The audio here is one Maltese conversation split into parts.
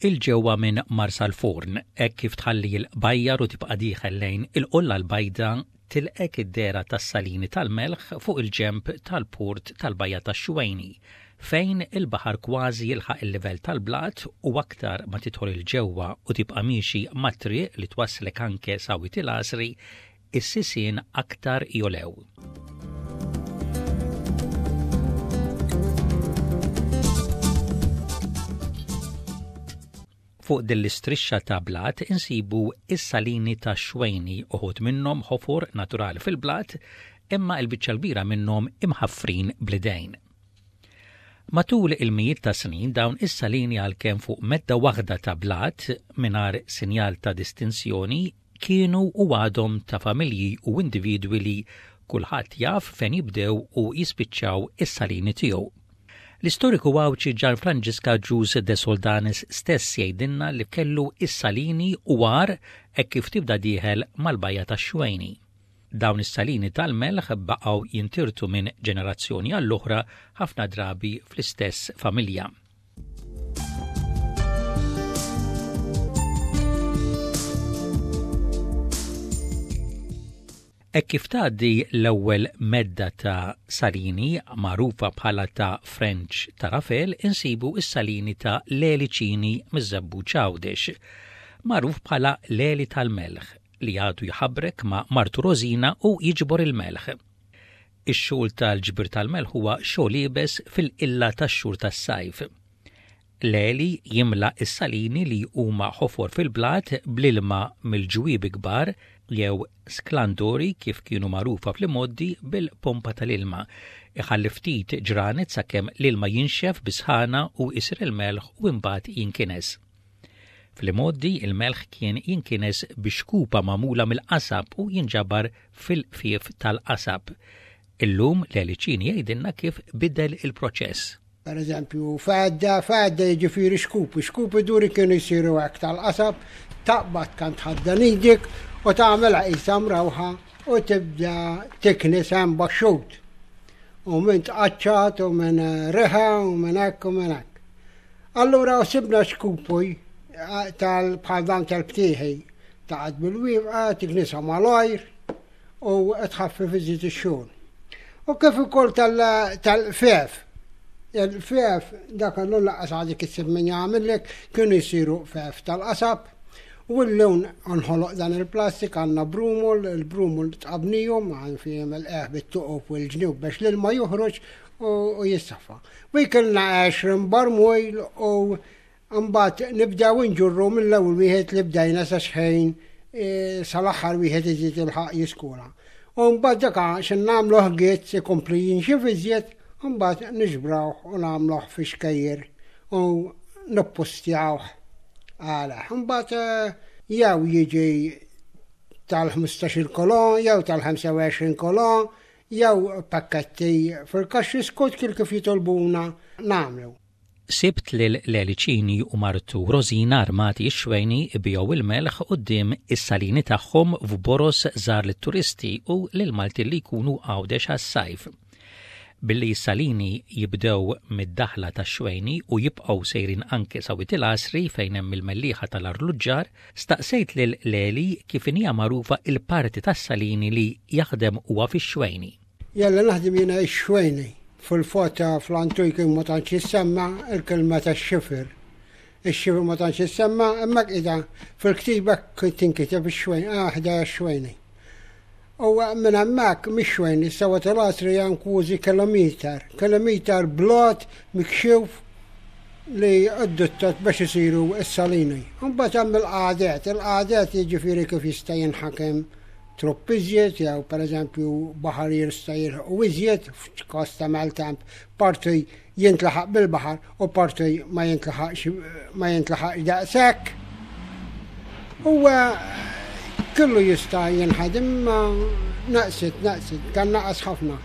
'Il ġewwa minn Marsalforn, hekk kif tħalli l-qbajjar u tibqa' dieħel lejn il-Qolla l-Bajda, tilqgħek id-dehra tas-salini tal-melħ fuq il-ġenb tal-port tal-Bajja tax-Xwejni, fejn il-baħar kważi jilħaq il-livell tal-blat u aktar ma tidħol 'il ġewwa u tibqa' miexi mat-triq li twasslek anke sa Wied il-Għasri, is-sisien aktar jogħlew. Fuq din l-istrixxa ta' blat insibu s-salini tax-Xwejni, uħud minnhom ħofor naturali fil-blat, imma l-biċċa l-kbira minnhom imħaffrin bl-idejn. Matul il-mijiet ta' snin dawn is-salini għalkemm fuq medda waħda ta' blat mingħajr sinjal ta' distinzjoni kienu u għadhom ta' familji u individwi li kulħadd jaf fejn jibdew u jispiċċaw is-salini tiegħu. L-istoriku Għawdxi Ġan Franġisk Agius de Soldanis stess jgħidilna li kellu s-salini u għar hekk kif tibda dieħel mal-bajja tax-Xwejni. Dawn is-salini tal-melħ baqgħu jintirtu minn ġenerazzjoni għall-oħra ħafna drabi fl-istess familja. Hekk kif tgħaddi l-ewwel medda ta' salini, magħrufa bħala ta' French ta' Rafel, insibu s-salini ta' Leli Cini miż-Żebbuġ Għawdex, magħruf bħala Leli tal-Melħ, li għadu jħabrek ma' martu Rosina u jiġbor il-melħ. Ix-xogħol tal-ġbir tal-melħ huwa xogħol iebes fil-qilla tax-xhur tas-sajf. L-għeli jimla s-salini li huma ħofor fil-blat bl-ilma mill-ġwiebi kbar jew sklandori kif kienu magħrufa fl-imgħoddi bil-pompa tal-ilma. Iħalli ftit ġranet sakemm l-ilma jinxef bis-sħana u jsir il-melħ u imbagħad jinkines. Fl-imgħoddi il-melħ kien jinkines bi xkupa magħmula mill-qasab u jinġabar fil-qfief tal-qasab. Illum Leli Cini jgħidilna kif bidel il-proċess. Per eżempju, fadda, fadda jiġifieri xkupi, xkupi duri kienu jsiru hekk tal-qasab, taqbad kan tħaddan idek u tagħmilha qisha mrawħa u tibda tiknis hemm baxxut. U minn tqaċċat u minn riħa u minn hekk u minn hekk. Allura sibna xkupi tal bħal dan tal-btieħi taqgħod bil-wieqfa, tiknisha malajr u tħaffef iżjed ix-xogħol. U kif ukoll tal-qfief. Il-qfief dak allura lanqas għadek issib min jagħmillek, kienu jsiru qfief tal-qasab. U llum nħoloq dan il-plastik għandna brumol, il-brumol tqabnihom għan fihom il-qeħ bit-tuqob u l-ġnub biex l-ilma joħroġ u jissaffa. U jkollna 20 barmil u Imbagħad nibdew inġurru mill-ewwel wieħed li bdejna sa xħin e, sal-aħħar wieħed iżid il-ħaq jiskura. U mbagħad dak xi nagħmluh gizz ikompli jinxif iżjed, mbagħad niġbrawh u nagħmluh fi xkejjer u nippustjawh għalih. Imbagħad e, jew jiġi tal-15 kolon jew tal-25 kolon jew pakketti fil-kaxxi skont kif jitolbuna nagħmlu. Sibt lil Leli Cini u martu Rosina armati x-xwejni ibigħu il-melħ quddiem is-salini tagħhom f'boroż żgħar lit-turisti u lill-Maltin li jkunu Għawdex għas-sajf. Billi s-salini jibdew mid-daħla tax-xwejni u jibqgħu sejrin anke sa Wied il-Għasri fejn hemm il-mellieħa tal-arluġġar, staqsejt lil Leli kif inhija magħrufa l-parti tas-salini li jaħdem huwa fix-xwejni. Jalla naħdem jiena x-xwejni. Fil-fatt fl-antik ma tantx jissemma il-kelma tax-xifer. Ix-xifer ma tantx jissemma, imma qiegħda fil-ktiba tinkiteb ix-xwejni, ah ħda x-xwejni. U minn hemmhekk mix-xwejni sewa tal-għasri hemm kważi kilometer, kilometer blat mikxuf li addottat biex isiru s-salini. Imbagħad hemm il-qagħdet, il-qagħdet jiġifieri kif jista' jinħakem trupp iżjed jew pereżempju baħar jista' jilħqu iżjed f'każ ta' maltemp parti jintlaħaq bil-baħar u parti ma jintlaħaqx ma jintlaħaqx daqshekk. Huwa kollu jista' jinħadem imma naqsit, naqsit, kan naqas ħafna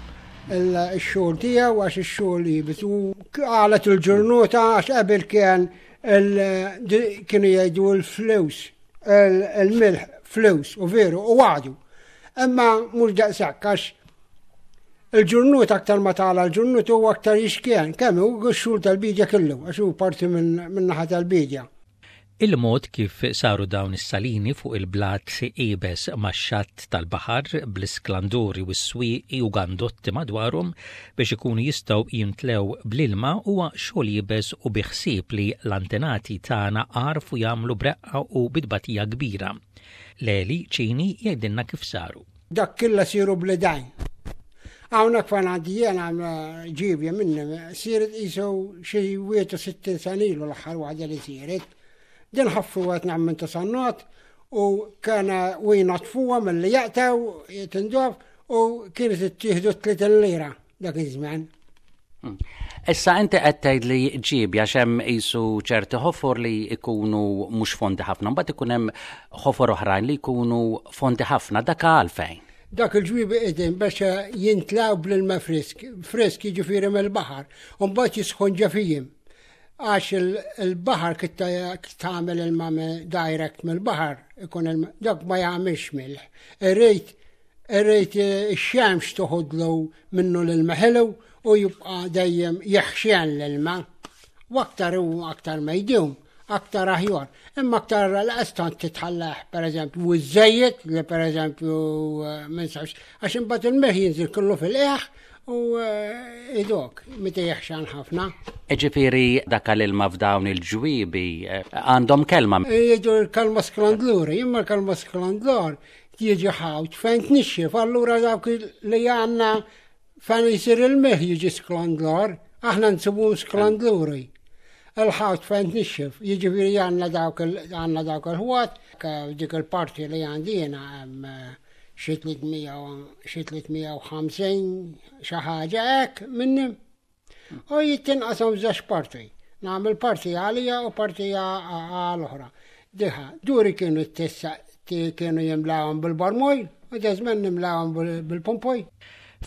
il-xogħol tiegħu għax ix-xogħol iebes u qalet il-ġurnata għax qabel kien kienu jgħidu l-flus il-milħ flus u veru u għadu. Imma mhux daqshekk għax il-ġurnut aktar ma tala l-ġurnut huwa aktar jixkien, kemm hu x-xhur tal-bidja kellu għax hu parti minn naħa tal-bidja. Il-mod kif saru dawn is-salini fuq il-blat iebes max-xatt tal-baħar bl-isklanduri u s-swieqi u gandotti madwarhom biex ikunu jistgħu jimtlew bl-ilma huwa xogħol iebes u bi ħsieb li l-antenati tagħna għarfu jagħmlu b'reqqa u bi tbatija kbira. Leli Cini jgħidilna kif saru. Dak killa siru bl-idajn. Hawnhekk fejn għandi jiena ġibja minni siret qisu xi 61 sena ilu l-aħħar waħda li siret. Din ħaffu għet nagħmel ta' sannat u kena u jnatfuha mill-li jaqtaw tindof u kienet ittieħdu 30 lira dak iż-żmien. Issa inti qed tgħid li ġieb għax hemm qisu ċerti ħofor li jkunu mhux fondi ħafna, mbagħad ikun hemm ħofor oħrajn li jkunu fondi ħafna, dak għalfejn. Dak il-ġwiebi qegħdin biex jintlaw bl-ilma frisk, frisk jiġifieri mill-baħar, u mbagħad jisħon ġefijim. Għax il-baħar kif tagħmel ilma direct mill-baħar, ikun ilma, dak ma jagħmilx milħ. Irrid Irrid ix-xemx toħodlu minnu l-ilma ħelu u jibqa' dejjem jeħxen l-ilma. U aktar u aktar ma jdum, aktar aħjar. Imma aktar laqas tant titħallah, per eżempju, u żejjed li per eżempju eh, minn sawx, għax imbagħad il-meħ jinżil kollu fil-qeħ u eh, idok, meta jeħxan ħafna. Ġifieri dak l-ilma f'dawn il-ġwiebi eh, għandhom kelma. Jiġu l-kalma sklandluri, imma l-kalma sklandlur jiġi ħawt fejn tnixxif, allura dawk li għandna fejn jisir il-meħ jiġi sklandlor, aħna nsibu sklandluri. Il-ħawt fejn tnixxif, jiġifieri għandna dawk għandna dawk il-ħwat, dik il-parti li għandi jiena hemm eh, xi 350 xi ħaġa hekk minni. U jittinqasam f'żewġ parti. Nagħmel parti għalija u parti għal oħra. Diħa, duri kienu t-tessa kienu jimlawhom bil-barmoj u dażmen nimlawhom bil-pompoj.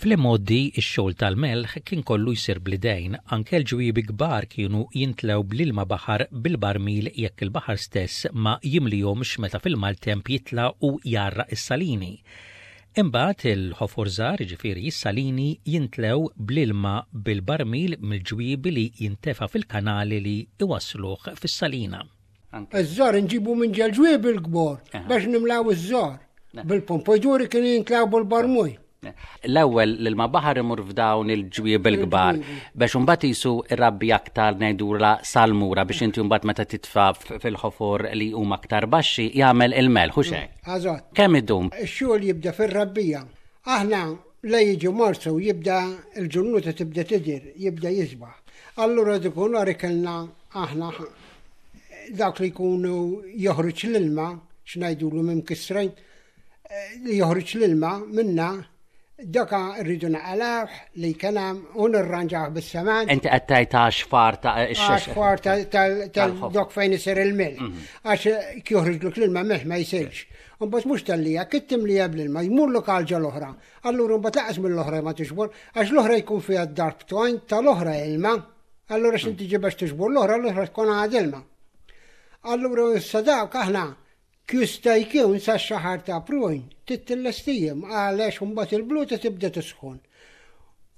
Fl-imgħoddi x-xogħol tal-melħ kien kollu jsir bl-idejn, anke l-ġwiebi kbar kienu jintlew bl-ilma baħar bil-barmil jekk il-baħar stess ma jimlihomx meta fil-maltemp jitla' u jgħarraq is-salini. Imbagħad il-ħofor żgħar, jiġifieri s-salini, jintlew bl-ilma bil-barmil mill-ġwiebi li jintefa' fil-kanali li jwassluh fis-salina. Iż-żgħar inġibu minn ġel-ġwiebi l-kbar biex nimlaw iż-żgħar. Bil-pompojduri kienu jintlaw bil-barmuj. L-ewwel l-ilma baħar imur f'dawn il-ġwieb il-kbar biex imbagħad jisu irabbi aktar ngħidula salmura biex inti mbagħad meta titfa' fil-ħofor li huma aktar baxxi jagħmel il-melħ u xejn. Eżatt. Kemm idum? Ix-xogħol jibda fir-rabbija. Aħna la jiġi Marzu jibda l-ġurnuta tibda tidher, jibda jisbaħ. Allura dik nhar ikellna aħna dawk li jkunu joħroġ l-ilma, x'ngħidulu minn kisrejn, li joħroġ l-ilma minna daka rridu naqalawh li kien hemm u nirranġawh bis-semen. Inti qed tgħid għax far ta' Għax far tal-dok fejn isir il-milħ. Mhm. Għax joħroġluk l-ilma milħ ma jsirx. Mbagħad mhux tal-lija, kif timlija bl-ilma, jmurlok għal ġol oħra. Allura mbagħad laqas mill-oħra ma tixbor, għax l-oħra jkun fiha d-darb tal-oħra ilma. Allura x'inti ġi biex tixbor l-oħra, l-oħra tkun għad ilma. Allura issa dawk aħna Jista' jkun sax-xahar ta' April tittilestihom għalex imbagħad il-bluta tibda tisħon.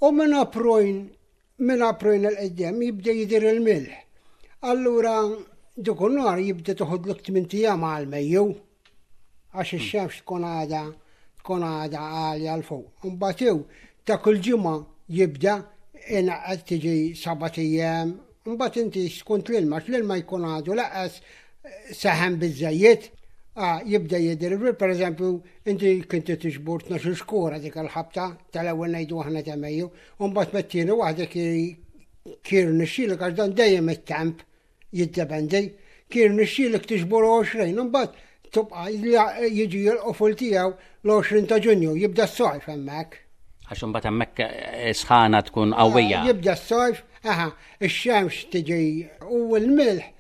U minn April minn April 'il quddiem jibda jidher il-milħ. Allura dik nhar jibda toħodlok tmint ijam għal Mejju għax ix-xemx tkun għadha tkun għadha għalja 'l fuq. Imbagħad hu ta' kull ġimgħa jibda inaqqas tiġi sabat ijiem Mbagħad inti skont l-ilma, għax l-ilma jkun għadu laqas saħen biżejjed, ah, jibda jidher, per eżempju, inti kinti tiġbur 12 xkura dik il-ħabta tal-ewwel ngħidu aħna ta' Mejju, u mbagħad met-tieni waħda kien nixxielek għax dan dejjem it-temp jiddependi, kien nixxielek tiġbur 20, u mbagħad tibqa' jiġi l-qofol tiegħu l-20 ta' Ġunju, jibda s-sajf hemmhekk. Għax imbagħad hemmhekk eh, sħana tkun qawwija. Jibda s-sajf, aha, ix-xemx tiġi u l-milħ,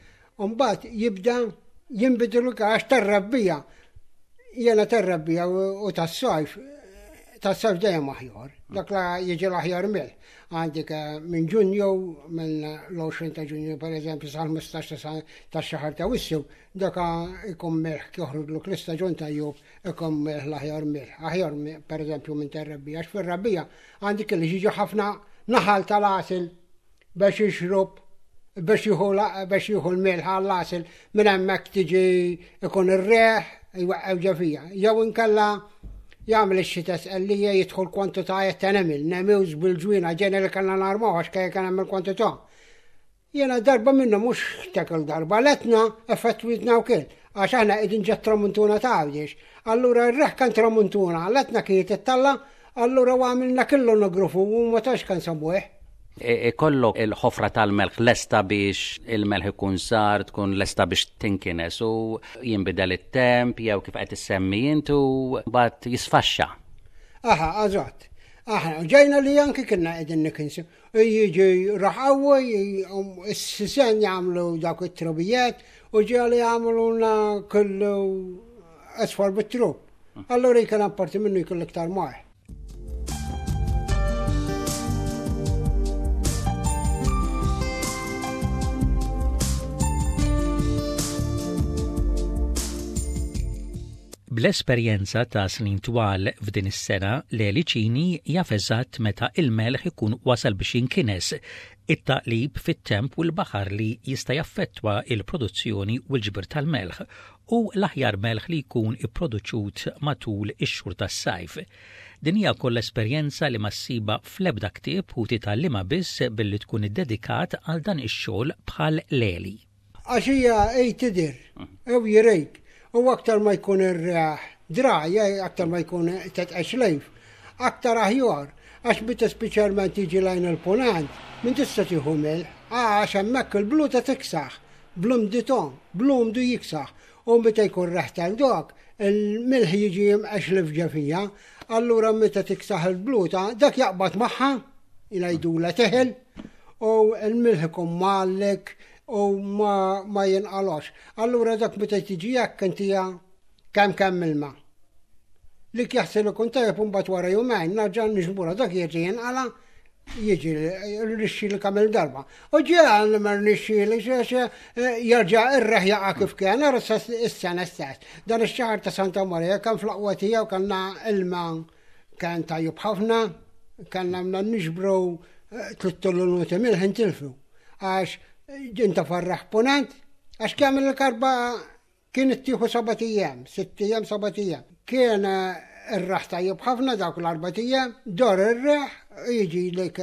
u mbagħad jibda jinbidlu għax tar-rabbija. Jena tar-rabbija u tas-sajf, tas-sajf dejjem aħjar. Dak la jiġi l-aħjar milħ. Għandek eh, minn Ġunju, minn l-20 ta' Ġunju per eżempju sal-15 ta' xahar ta' Wissu, Daka ikun melħ joħroġlok l-istaġun tajjub ikun melħ l-aħjar melħ. Aħjar per eżempju minn tar-rebbija, għax fir-rebbija għandek li jiġi ħafna naħal tal-għasel biex jixrob Biex jieħu biex jieħu l-melħ għall-għasel minn hemmhekk tiġi ikun ir-reħ jwaqqgħu ġo fija. Jew inkella jagħmel ix-xita sqellija jidħol kwantitajiet ta' nemil, nemiws bil-ġwina ġeneri kellna narmaw għax kien hemm il-kwantità. Jiena darba minnhom mhux tekil darba l-Etna effettwitna wkoll għax aħna qegħdin ġa tramuntuna ta' Għawdex. Allura r-reħ kan tramuntuna, l-Etna kienet ittalla, allura għamilna killu nogrufu u ma tantx kan sabuħ. Ikollok il-ħofra tal-melħ lesta biex il-melħ ikun sar, tkun lesta biex tinkines u jinbidel it-temp jew kif qed issemmi intu mbagħad jisfaxxa. Aha, eżatt. Aħna ġejna li anki kienna qegħdin nikinsu. Jiġi raħawwi, s-sisen jagħmlu dawk it-trubijiet u ġieli jagħmluna kollu asfar bit-trub. Allura jkun apparti minnu jkun iktar maħ. Bl-esperjenza ta' snin twal f'din is-sena, Leli Cini jaf eżatt meta il-melħ ikun wasal biex jinkines, it-taqlib fit-temp u l-baħar li jista' jaffettwa l-produzzjoni u l-ġbir tal-melħ, u l-aħjar melħ li jkun ipproduċut matul ix-xhur tas-sajf. Din hija wkoll esperjenza li ma ssibha fl-ebda ktieb u titgħallimha biss billi tkun iddedikat għal dan ix-xogħol bħal Leli. Għax hija hi tidher, u jirejk, u aktar ma jkun ir-riħ dry, aktar ma jkun tetqex lejf, aktar aħjar, għax meta speċjalment jiġi lejn il-punent, min tista' tieħu milħ, għax hemmhekk il-bluta tiksaħ, blumdito, blumdu jiksaħ, u meta jkun reħ tal-dok, il-milħ jiġi jimqex l fija, allura meta tiksaħ il-bluta, dak jaqbad magħha, jgħidula teħel, u l-milħ ikun mgħallek u ma, ma jinqalox. Allura dak meta tiġi hekk intija kemm kemm ilma. Li jaħsel ikun tajjeb u mbagħad wara jumejn narġa' niġbura dak jiġi jinqala jiġi rixxi li kamil darba. U ġeħal li ma rnixxi li xexe eh, jarġa' irreħ jaqa' kif kien, ara s-sena stess. Dan ix-xahar ta' Santa Maria kan fl-aqwa tiegħu kellna ilma Kien tajjeb ħafna, kellna għamna niġbru eh, tlitt milħ intilfu. Għax eh, inta farraħ ponent, għax kemm il-karba kien ittieħu seba' ijiem, sitt ijiem, seba' ijiem. Kien eh, ir-raħ tajjeb ħafna dawk l-arba' ijiem, dor ir-reħ, jiġi lek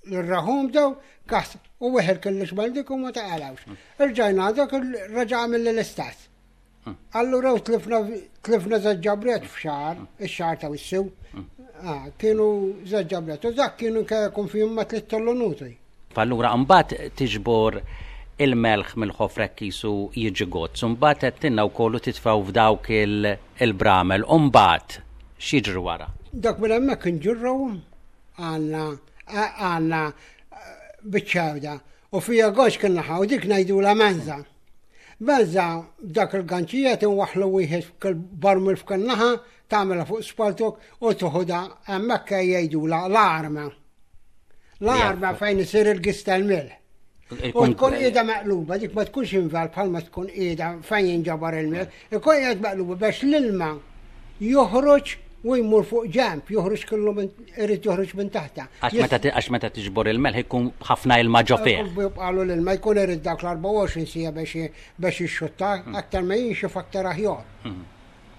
l-raħum daw, kas, u weħel kellix mal dik u ma taqalawx. Irġajna dak raġa' għamil l-istess. Allura u tlifna tlifna żewġ ġabriet f'xahar, ix-xahar ta' wissu. Ah, kienu żewġ ġabriet u dak kienu jkun fihom ma tliet tollonuti. Allura mbagħad tiġbor il-melħ mill-ħofrek qisu jiġi gozz, u mbagħad qed tinna wkoll u titfgħu f'dawk il-bramel, u mbagħad x'jiġri wara? Dak minn hemmhekk inġurruhom għandna għandna biċċa u fija goċ kien naħa u dik ngħidulha menza. Benza b'dak il-ganċijiet inwaħħlu wieħed f'kull barmil f'kull naħa, tagħmilha fuq spaltuk u toħodha hemmhekk jgħidulha l-arma. L-arma fejn isir il-gis tal-milħ. U tkun qiegħda meqluba, dik ma tkunx inval bħalma tkun qiegħda fejn jinġabar il-milħ, ikun qiegħed meqluba biex l-ilma joħroġ u jmur fuq ġemp, joħroġ kollu minn irid joħroġ minn taħta. Għax meta tiġbor il-melħ ikun ħafna ilma ġo fih. Jibqalu l-ilma jkun irid dak l-24 sija biex biex jixxutta, hmm. aktar ma jinxif aktar aħjar. Hmm.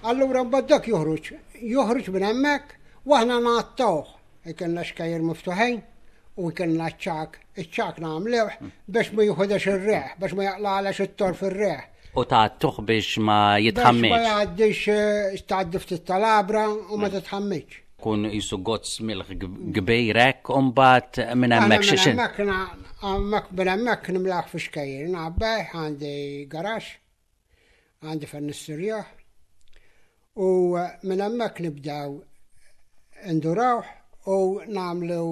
Allura mbagħad dak joħroġ, joħroġ minn hemmhekk u aħna ngħattawh. Ikelna xkajjer miftuħin u jkollna ċ-ċagħak, iċ-ċagħak nagħmluh biex ma jieħudex ir-riħ, biex ma jaqlagħlex it-tor fir-riħ. U tgħattuh biex ma jitħammiġx. Biex ma jgħaddix eh, tgħaddi ftit tal-għabra u ma mm. titħammiġx. Kun jisu gozz milħ kbir hekk u mbagħad minn hemmhekk xi Hemmhekk minn hemmhekk nimlaħ fi xkejjer, nagħbeh għandi garax. Għandi fejn nisturjah u minn hemmhekk nibdew indurawh u nagħmlu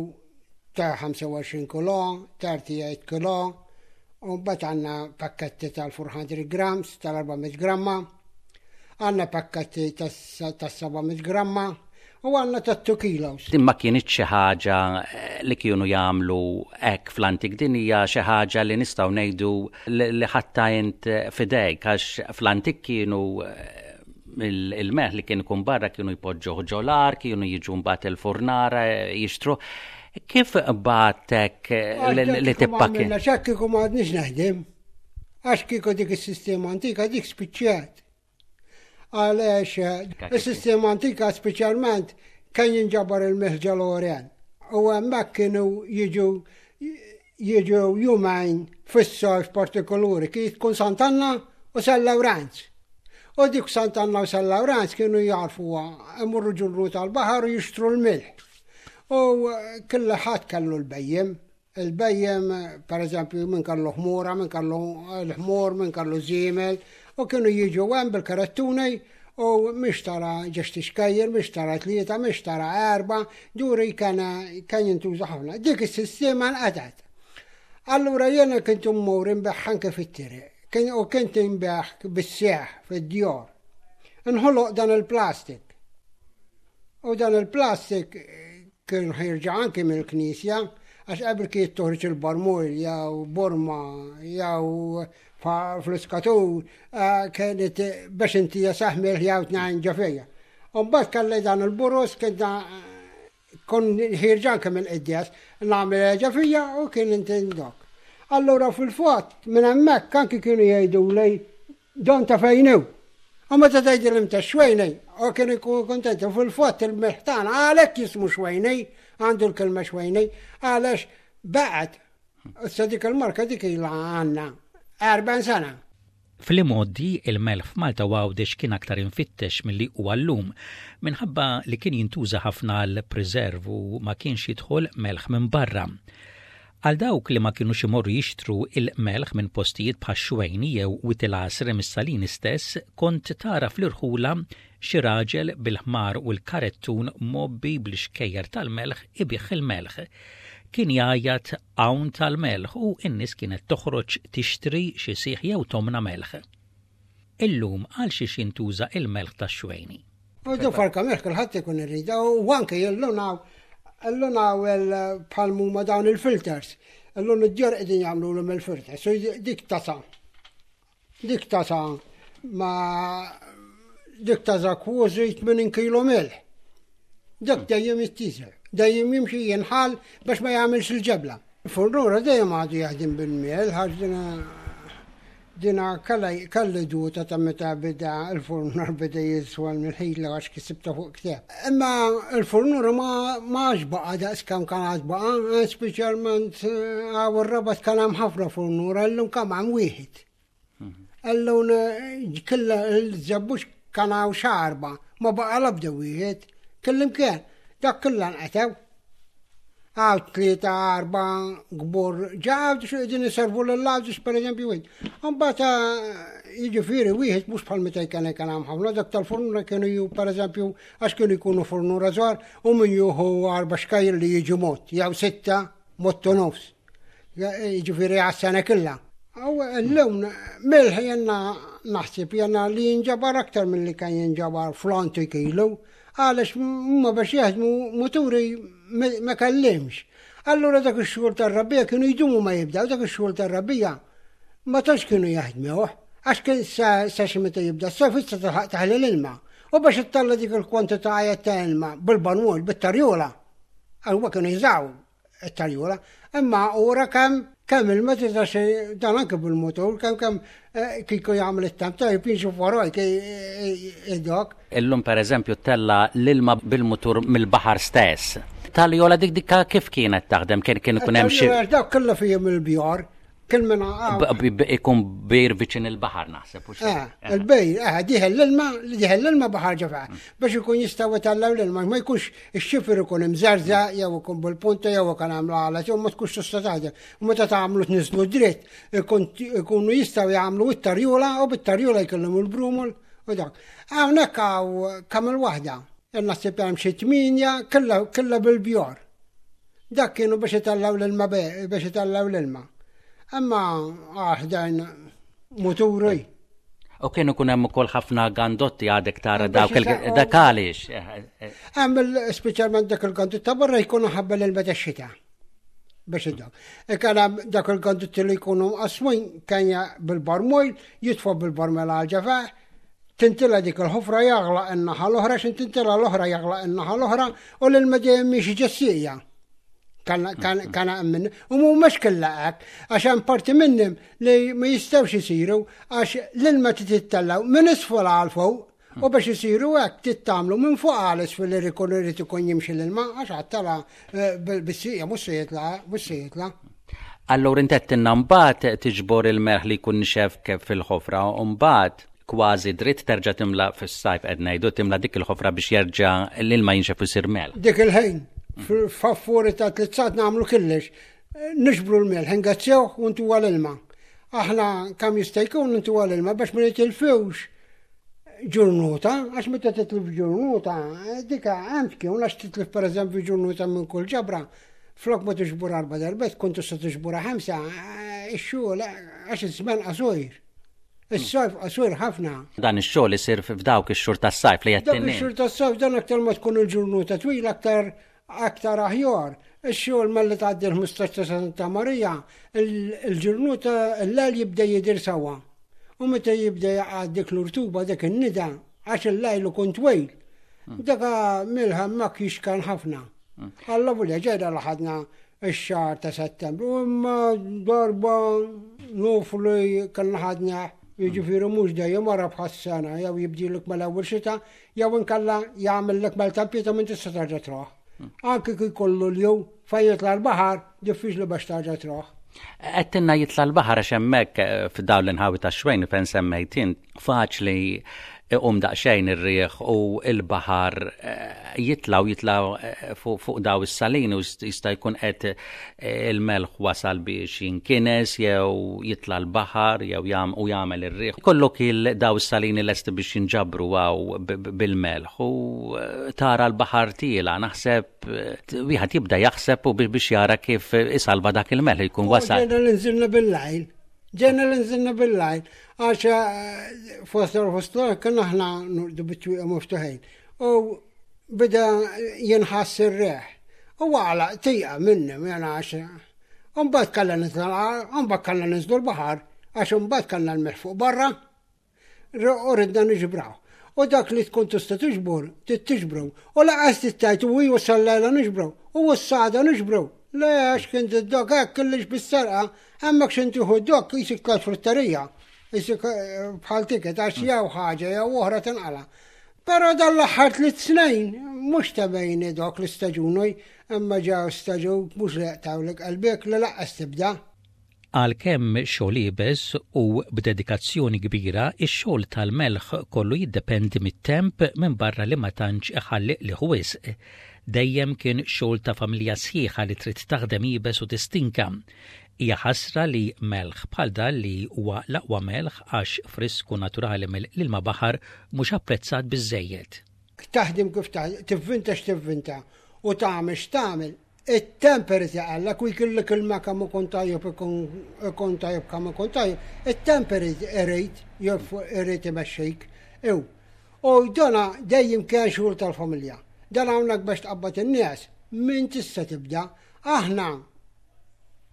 ta' 25 kilo, 38 kilo, u mbagħad għandna pakketti tal-400 grams, tal-400 gramma, għandna pakketti tas-700 gramma, u għandna ta' 2 kilos. Din ma kinitx xi ħaġa eh, li kienu jagħmlu hekk fl-antik, din hija xi ħaġa li nistgħu ngħidu li ħatta int fidejk għax fl-antik kienu eh, il-melħ li kien ikun barra kienu jpoġġuh ġolar, kienu jiġu mbagħad il-furnara jixtru. Kif batek li tippakki? X'hekk kieku ma għadniex naħdem. Għax kieku dik is-sistema antika dik spiċċat. Għaliex is-sistema antika speċjalment kien jinġabar il-melħ ġol-Oren. U hemmhekk kienu jiġu jiġu jumejn fis-sajf partikolari kien tkun Sant'Anna u San Lawrenz. U dik Sant'Anna u San Lawrenz kienu jarfuha imorru ġurru tal-baħar u jixtru l-milħ. U killa ħadd kellu l-bejjem. Il-bejjem, per eżempju, minn kellu ħmura, minn kellu l-ħmur, minn kellu żiemel, u kienu jiġu hemm bil-karettuni u mhix tara ġex tixkejjer, mhix tara tlieta, mhix tara erba, duri kien kien jintuża ħafna. Dik is-sistema nqatgħet. Allura jiena kont immur inbigħ anke fit-triq u kont inbigħ bis-seħ fid-djor. Inħoloq dan il-plastik. U dan il-plastik kien ħirġa anki mill-knisja, għax qabel kien toħroġ il-barmur jew borma jew fl-iskatur eh, kienet biex inti jasaħmel jew tnajn ġo fija. Mbagħad kelli dan il-burus kien kon ħirġa anke mill-qiddies nagħmel ġo fija u kien inti ndok. Allura fil-fatt minn hemmhekk anki kienu jgħidu li don ta' fejn hu. U meta tgħidilhom ta' xwejni, u kienu jkunu kuntenti. U fil-fatt il-milħ tagħna għalhekk jismu xwejni, għandu l-kelma xwejni, għaliex baqgħet. Issa dik il-marka dik ilha għandna 40 sena. Fl-imgħoddi, il-melħ f'Malta u Għawdex kien aktar imfittex milli huwa llum, minħabba li kien jintuża ħafna għall-preserve u ma kienx jidħol melħ minn barra. Għal dawk li ma kinux imorru jixtru il-melħ minn postijiet bħax-Xwejni jew Wied il-Għasri mis-Salini stess, kont tara fl-irħula xi raġel bil-ħmar u l-karettun mgħobbi bl-ixkejjer tal-melħ ibigħ il-melħ. Kien jgħajjat hawn tal-melħ u n-nies kienet toħroġ tixtri xi sieħ jew tomna melħ. Illum għal xiex jintuża il-melħ tax-Xwejni? U du farka melħ kulħadd ikun irridha u anke jillunaw illunaw bħal huma dawn il-filters. Illum id-djar qegħdin jagħmlulhom il-filters. U dik tasa. Dik tasa ma dik tasa kważi 80 kilo melħ. Dak dejjem jittiżel, dejjem jimxi jinħal biex ma jagħmilx il-ġebla. Furnura dejjem għadu jaħdem bil-miel, ħax dina Dina kelli duta ta' meta beda il-furnur beda jiswa l-ħila għax kisibta fuq ktieb. Imma il-furnur ma għax baqa daqs kemm kien għad baqa, speċjalment għaw ir-rabat kien hemm ħafna furnur, illum kemm hemm wieħed. Illum killa l-żabbux kien hawn xarba, ma baqa l-ebda wieħed, kellim kien, dak kollha nqatew. Għaw tlieta arba gbur ġaw xo qegħdin iservu lill-għawdix pereżempju wieħed. Imbagħad eh, jiġifieri wieħed mhux bħal meta kien kien hemm ħafna dak tal-furnura kienu ju pereżempju għax kienu jkunu furnura żgħar u min juhu arba xkajr li jiġi mod jew sitta mod u nofs. Jiġifieri għas-sena kollha. U llum milħ jenna naħseb jenna li jinġabar aktar milli kien jinġabar fl-antik ilu, għaliex huma biex jaħdmu muturi ma kellimx. Allura dak ix-xogħol tar-rabbija kienu jdumu ma jibdew dak ix-xogħol tar-rabbija ma tantx kienu jaħdmuh għax kien sa xi meta jibda s-sajf issa tilħaq taħli l-ilma. U biex ittalla dik il-kwantità ta' ilma bil-banwol, bit-tarjola, huma kienu jużaw it-tarjola, imma ura kemm kemm ilma tistax dan anke bil-motur, kemm kemm eh, kieku jagħmel it-temp tajjeb jinxu warajk id-dok. Illum pereżempju tella l-ilma bil-mutur mill-baħar stess. Tal-jola dik dikka kif kienet taħdem? Kien kien ikun hemm xi. Dak kollha fihom il-bjar. Kien minn Ikun bir viċin il-baħar naħseb. Eh, il-bejr, eh, diħel l-ilma, diħel l-ilma baħar ġefa, biex ikun jistaw itallaw l-ilma, ma jkunx ix-xifer ikun imżarza, jew ikun bil-punta, jew ikun għamlu għala, jew ma tkunx tista' taħdem. U meta tagħmlu tniżlu dritt, ikunu jistgħu jagħmlu it-tarjula u bit-tarjula jkollhom il-brumol u dak. Hawnhekk hawn kemm il-waħda. Naħseb hemm xi tminja kollha bil-bjor. Dak kienu biex itellaw l-ilma biex itellaw l-ilma. Imma aħdajn muturi. U kienu kun hemm ukoll ħafna gandotti għadek tara dawk dak għaliex. Eh, eh. Hemm speċjalment dak il-gandotti ta' barra jkunu ħabba l-ilma tax-xita. Biex id Ikun hemm dak il-gandotti li jkunu mqasmin kenja bil-barmojl, jitfa' bil-barmel għal ġefa. Tintila dik il-ħofra jagħlaq in-naħa l-oħra, x'in tintila l-oħra jagħlaq in-naħa l-oħra u l-ilma dejjem miexi ġessija. Kana minn, u mhumiex kollha hekk, għax hemm parti minnhom li ma jistgħux isiru għax l-ilma titittellgħu minn isfel għal fuq u biex isiru hekk tittamlu minn fuq għal isfel li jkun irid ikun jimxi l-ilma għax għattala eh, bis-sieqa mhux se jitla' mhux se jitla'. Allura inti għedtilna mbagħad tiġbor il-melħ li jkun nixef fil-ħofra u mbagħad kważi dritt terġa' timla fis-sajf qed ngħidu timla dik il-ħofra biex jerġa' l-ilma jinxef u jsir melħ. Dik il-ħin, f'affuri ta' tliet nagħmlu killex, nixbru l-melħ, ingazzjewh u ntuha l-ilma. Aħna kemm jista' jkun ntuha l-ilma biex ma nitilfux ġurnuta, għax meta titlif ġurnuta, dika hemm tkun għax titlif pereżempju ġurnuta minn kull ġabra, flok ma tiġbur arba darbiet tkun tista' tiġburha ħamsa, ix-xogħol għax iż-żmien qasir. Is-sajf qasir ħafna. Dan ix-xogħol isir f'dawk ix-xhur tas-sajf li qed Dak ix-xhur tas-sajf dan aktar ma tkun il-ġurnuta twila aktar aktar aħjar. Ix-xogħol malli tgħaddi l-15 ta' Santa Marija, il-ġurnuta l-lejl jibda jidher sewwa. U meta jibda jaqa' dik l-urtuba dik in-nida, għax il-lejl ikun twil. Daka milħa mak jixkan ħafna. Alla volja ġejra li ħadna ix-xahar ta' Settembru, imma darba nuf li kellna ħadna jiġifieri mhux dejjem wara bħas-sena jew jibdilek mal-ewwel xita jew inkella jagħmellek maltempita minn tista' terġa' truħ. Anki kif jkollu l-jew fejn jitla' l-baħar diffiċli biex terġa' truħ. Għedtilna jitla' l-baħar għax hemmhekk eh, f'dawn l-inħawi tax-xwejn fejn semmejt int faċli iqum daqsxejn ir-riħ u l-baħar eh, jitla' u jitla' eh, fuq daw is-salini u jista' jkun qed eh, il-melħ wasal biex jinkines jew jitla' l-baħar jew jam u jagħmel ir-riħ. Kollok il daw is-salini lesti biex jinġabru għaw bil-melħ u tara l-baħar tiela naħseb wieħed jibda jaħseb u biex jara kif isalva dak il-melħ jkun wasal. Ġejna l-inżilna bil-lajl. Ġejna l-inżilna bil-lajl. Għax eh, fost fost kien aħna nurdu bit-twieqa miftuħin. U bida jinħass ir-reħ. U għala tija minni, jena għax. Umbagħad kellna nitla' umbagħad kellna ninżlu l-baħar, għax umbagħad kellna l-melħ fuq barra. U ridna niġbraw. U dak li tkun tista' tiġbor, tiġbru. U laqas tittajt u ju sal-lejla niġbru. U s-sada niġbru. Le għax kien dok hekk kellix bis-serqa, hemmhekk x'in tieħu dok jisik tal-frutterija. Jisik eh, bħal tiket għax jew ħaġa jew oħra tinqala. Però dan l-aħħar tliet snin mhux ta' bejni dok l-istaġun imma ġew staġun mhux li jaqtawlek qalbek li laqqas tibda. Għalkemm xogħol iebes u b'dedikazzjoni kbira, ix-xogħol tal-melħ kollu jiddependi mit-temp minbarra li ma tantx iħalli qligħ wisq. Dejjem kien xogħol ta' familja sħiħa li trid taħdem iebes u tistinka. Hija ħasra li melħ bħal dan li huwa l-aqwa melħ għax frisk u naturali mill-ilma baħar mhux apprezzat biżżejjed. Taħdem kif taħdem, tivvinta x'tivvinta u tagħmel x'tagħmel, it-temp irid jaqallek u jkillek ilma kemm ikun tajjeb ikun tajjeb kemm ikun tajjeb, it-temp irid irid irid imexxik. Ew. U dona dejjem kien xogħol tal-familja. Dan hawnhekk biex tqabbad in-nies, min tista' tibda. Aħna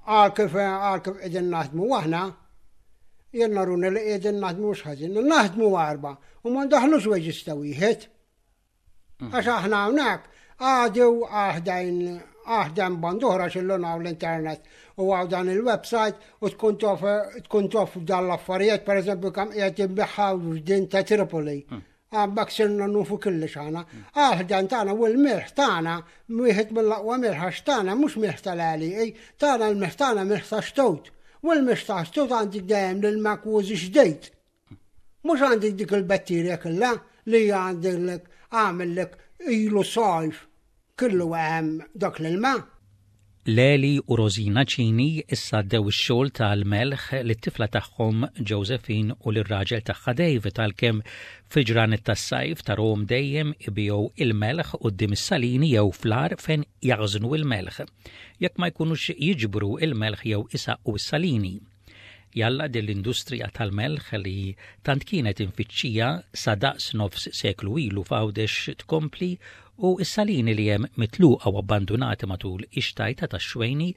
għal kif għal kif qegħdin naħdmu aħna, jien naruna li qegħdin naħdmu mhux ħażin, naħdmu arba u ma ndaħlux wages ta' wieħed. Għax aħna hawnhekk għadu aħdejn aħdem band oħra xillun hawn l-internet u għaw dan il-website u tkun tof tkun tof dan l-affarijiet, per eżempju kam qiegħed jinbiħħaw din ta' Tripoli. Għabbak sirna nufu kullix aħna. Aħdan tagħna u l-mirħ tagħna wieħed mill-aqwa mirħ għax tagħna mhux mirħ tal-għalieqi, tagħna l-mirħ tagħna mirħ ta' xtut. U l-mirħ ta' xtut għandik dejjem l-makłużi xdejt. Mhux għandek dik il-batterja kollha li għandek għamillek ilu sajf kollu hemm dak l-ilma. Leli u Rosina Cini issa għaddew ix-xogħol tal-melħ lit-tifla tagħhom Josephine u lir-raġel tagħha David għalkemm fil-ġranet tas-sajf tarahom dejjem ibigħu il-melħ quddiem is-salini jew fl-għar fejn jaħżnu il-melħ jekk ma jkunux jiġbru il-melħ jew isaqqu s-salini. Jalla din l-industrija tal-melħ li tant kienet imfittxija sa daqs nofs seklu ilu f'Għawdex tkompli u s-salini li hemm mitluqa u abbandunati matul ix-xtajta tax-Xwejni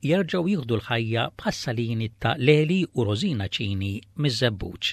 jerġgħu jieħdu l-ħajja bħas-salini ta' Leli u Rosina Cini miż-Żebbuġ.